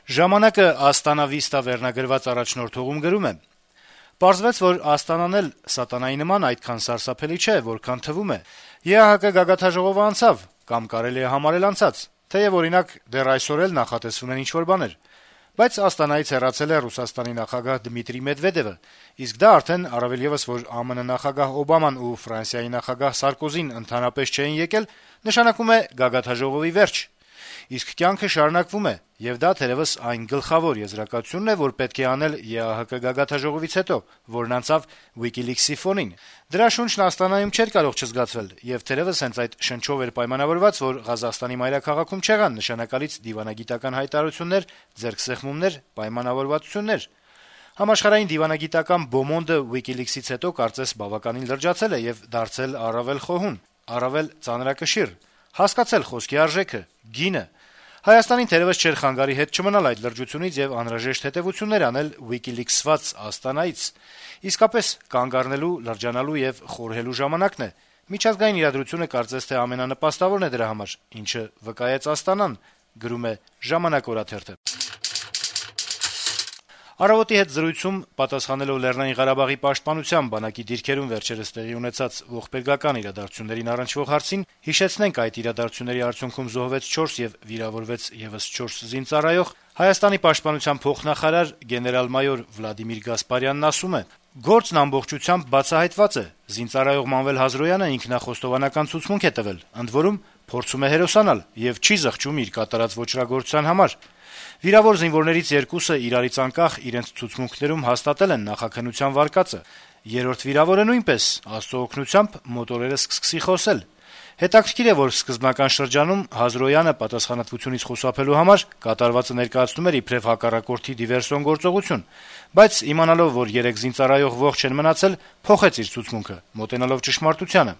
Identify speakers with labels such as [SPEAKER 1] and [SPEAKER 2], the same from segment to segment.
[SPEAKER 1] Ժամանակը Աստանա Վիստա վերնագրված առաջնորդողում գրում է. - «Պարզվեց, որ Աստանան էլ սատանայի նման այդքան սարսափելի չէ, որքան թվում է: ԵԱՀԿ գագաթնաժողովը անցավ, կամ կարելի է համարել անցած, թեեւ օրինակ դեռ այսօր էլ նախատեսվում են ինչ-որ բաներ: Բայց Աստանայից հեռացել է Ռուսաստանի նախագահ Դմիտրի Մեդվեդեւը, իսկ դա արդեն առավել եւս, որ ԱՄՆ նախագահ Օբաման ու Ֆրանսիայի նախագահ Սարկոզին ընդհանրապես չէին եկել, նշանակում է գագաթնաժողովի վերջ: Իսկ կյանքը շարունակվում է, եւ դա թերեւս այն գլխավոր եզրակացությունն է, որ պետք է անել ԵԱՀԿ գագաթնաժողովից հետո, որն անցավ WikiLeaks-ի ֆոնին: Դրա շունչն Աստանայում չէր կարող չզգացվել, եւ թերեւս հենց այդ շնչով էր պայմանավորված, որ Ղազախստանի մայրաքաղաքում չեղան նշանակալից դիվանագիտական հայտարարություններ, ձեռքսեղմումներ, պայմանավորվածություններ: Համաշխարհային դիվանագիտական բոմոնդը WikiLeaks-ից հետո կարծես բավականին լրջացել է եւ դարձել առավել խոհուն, առավել ծանրակշիռ, հասկացել խոսքի արժեքը, գինը: Հայաստանին թերեւս չէր խանգարի հետ չմնալ այդ լրջությունից եւ անհրաժեշտ հետեւություններ անել WikiLeaks-ված Աստանայից: Իսկապես կանգ առնելու, լրջանալու եւ խորհելու ժամանակն է: Միջազգային իրադրությունը կարծես թե ամենանպաստավորն է դրա համար, ինչը վկայեց Աստանան»: «Առավոտ»-ի հետ զրույցում, պատասխանելով Լեռնային Ղարաբաղի պաշտպանության բանակի դիրքերում վերջերս տեղի ունեցած ողբերգական իրադարձություններին առնչվող հարցին, հիշեցնենք այդ իրադարձությունների արդյունքում զոհվեց 4 եւ վիրավորվեց եւս 4 զինծառայող, Հայաստանի պաշտպանության փոխնախարար գեներալ-մայոր Վլադիմիր Գասպարյանն ասում է. - «Գործն ամբողջությամբ բացահայտված է: Զինծառայող Մանվել Հազրոյանը ինքնախոստովանական ցուցմունք է տվել, ընդ որում փորձում է հերոսանալ եւ չի զղջում իր կատարած ոճրագործության համար: Վիրավոր զինվորներից 2-ը իրարից անկախ իրենց ցուցմունքներում հաստատել են նախաքննության վարկածը: Երրորդ վիրավորը նույնպես, Աստծո օգնությամբ, մոտորերս կսկսի խոսել: Հետաքրքիր է, որ սկզբնական շրջանում Հազրոյանը պատասխանատվությունից խուսափելու համար կատարվածը ներկայացնում էր իբրեւ հակառակորդի դիվերսիոն գործողություն, բայց իմանալով, որ 3 զինծառայող ողջ են մնացել, փոխեց իր ցուցմունքը, մոտենալով ճշմարտությանը: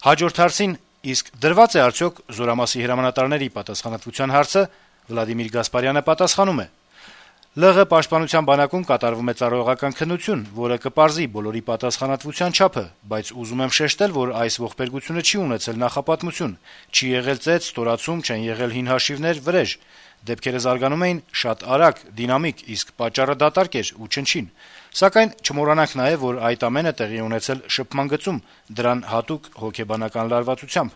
[SPEAKER 1] Հաջորդ հարցին՝ իսկ դրվա՞ծ է արդյոք զորամասի հրամանատարների պատասխանատվության հարցը, Վլադիմիր Գասպարյանը պատասխանում է. - «ԼՂ պաշտպանության բանակում կատարվում է ծառայողական քննություն, որը կպարզի բոլորի պատասխանատվության չափը, բայց ուզում եմ շեշտել, որ այս ողբերգությունը չի ունեցել նախապատմություն, չի եղել ծեծ, ստորացում, չեն եղել հին հաշիվներ, վրեժ: Դեպքերը զարգանում էին շատ արագ, դինամիկ, իսկ պատճառը դատարկ էր ու չնչին: Սակայն չմոռանանք նաեւ, որ այդ ամենը տեղի է ունեցել շփման գծում, դրան հատուկ հոգեբանական լարվածությամբ»: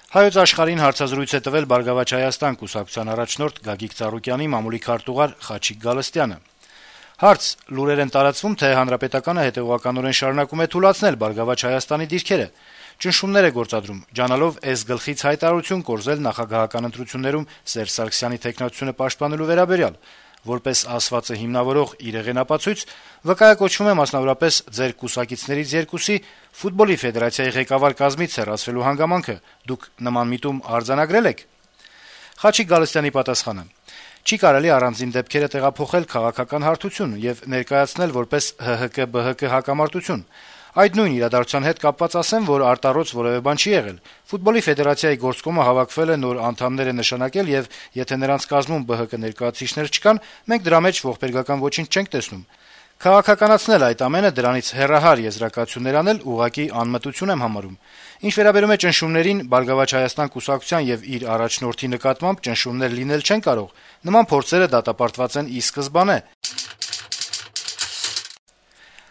[SPEAKER 1] «Հայոց Աշխարհ»-ին հարցազրույց է տվել «Բարգավաճ Հայաստան» կուսակցության առաջնորդ Գագիկ Ծառուկյանի մամուլի քարտուղար Խաչիկ Գալստյանը: Հարց. - «Լուրեր են տարածվում, թե Հանրապետականը հետեւողականորեն շարունակում է թուլացնել «Բարգավաճ Հայաստանի» դիրքերը, ճնշումներ է գործադրում, ջանալով S-գլխից հայտարարություն կորզել նախագահական ընտրություններում Սերժ Սարգսյանի թեկնածությունը պաշտպանելու վերաբերյալ: Որպես ասվածը հիմնավորող իր հեղինապացույց վկայակոչվում է մասնավորապես ձեր կուսակիցներից 2-ի Ֆուտբոլի ֆեդերացիայի ղեկավար կազմից հեռացվելու հանգամանքը: Դուք նման միտում արձանագրե՞լ եք»: Խաչիկ Գալստյանի պատասխանը. - «Չի կարելի առանձին դեպքերը տեղափոխել քաղաքական հարթություն եւ ներկայացնել որպես ՀՀԿ-ԲՀԿ հակամարտություն: Այդ նույն իրադարձության հետ կապված ասեմ, որ արտառոց որեւէ բան չի եղել: Ֆուտբոլի ֆեդերացիայի գործկոմը հավաքվել է նոր անդամներ է նշանակել եւ եթե նրանց կազմում ԲՀԿ ներկայացուցիչներ չկան, մենք դրա մեջ ողբերգական ոչինչ չենք տեսնում: Քաղաքականացնել այդ ամենը, դրանից հեռահար եզրակացություններ անել ուղղակի անմտություն եմ համարում: Ինչ վերաբերում է ճնշումներին, «Բարգավաճ Հայաստան» կուսակցության եւ իր առաջնորդի նկատմամբ ճնշումներ լինել չեն կարող: Նման փորձերը դատապարտված են ի սկզբանե»: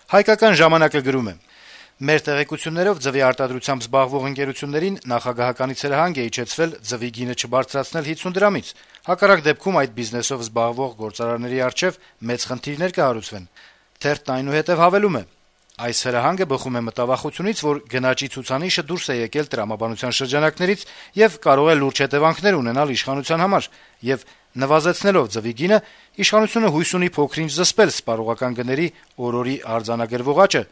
[SPEAKER 1] «Հայկական ժամանակ»-ը գրում է. - «Մեր տեղեկություններով ձվի արտադրությամբ զբաղվող ընկերություններին նախագահականից հրահանգ է իջեցվել ձվի գինը չբարձրացնել 50 դրամից: Հակառակ դեպքում այդ բիզնեսով զբաղվող գործարարների առջեւ մեծ խնդիրներ կհարուցվեն»: Թերթն այնուհետեւ հավելում է. - «Այս հրահանգը բխում է մտավախությունից, որ գնաճի ցուցանիշը դուրս է եկել տրամաբանության շրջանակներից եւ կարող է լուրջ հետեւանքներ ունենալ իշխանության համար, եւ նվազեցնելով ձվի գինը, իշխանությունը հույս ունի փոքր-ինչ զսպել սպառողական գների օր-օրի արձանագրվող աճը»: